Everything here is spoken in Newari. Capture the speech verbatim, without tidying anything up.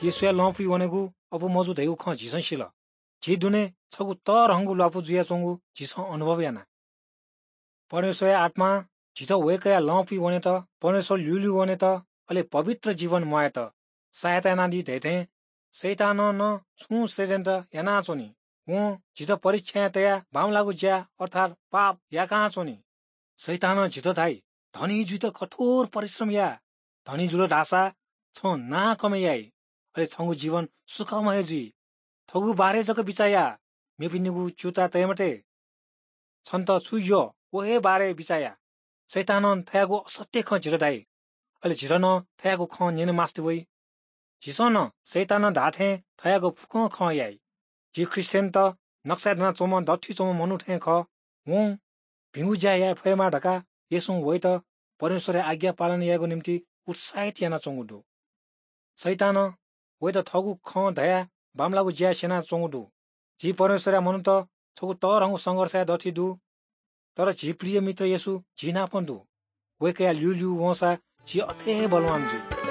येशूया लँपुइ वनेगु अबु मजू धइगु खँ झीसं सिल। झी दुने छगू तःधंगु ल्वापु जुयाच्वंगु झीसं अनुभव याना। परमेश्वरया आत्मां झीत वय्कःया लँपुइ वनेत, परमेश्वर ल्यूल्यू वनेत, अले पवित्र जीवन म्वायेत सहायता यानादी धइथें शैतानं नं छुं षड्यन्त्र यानाच्वनी। वं झीत परीक्षाय् तयाः बांमलाःगु ज्या अर्थात् पाप याकाच्वनी। शैतानं झीत धाइ, "धनी जुइत कठोर परिश्रम या। धनी जुल धाःसा छं नां कमय् याइ, अले छंगु जीवन सुखमय जुइ। थःगु बारे जक बिचाः या, मेपिनिगु च्यूताः तये मते। छन्त छु यः, व हे बारे बिचाः या।" शैतानं थज्याःगु असत्य खँ झीत धाइ, अले झीत नं थज्याःगु खँ न्यने मास्ति वइ। झीसं नं शैतानं धाःथें थज्याःगु फुक्कं खँ याइ। झी ख्रीष्टियनत नक्साय् दनाच्वंम्ह दथुइ च्वंम्ह मनू थें खः। वं भिंगु ज्या याये फयेमा धकाः येशूं वइत परमेश्वरया आज्ञा पालन यायेगु निंतिं उत्साहित यानाच्वंगु दु। शैतानं वइत थःगु खँ धयाः बांमलाःगु ज्या स्यनाच्वंगु दु। झी परमेश्वरया मनूत छगू तःधंगु संघर्षया दथुइ दु, तर झी प्रिय मित्र येशू झी नाप दु। वय्कःया ल्यूल्यू वंसा झी अथे हे बलवान जुइ।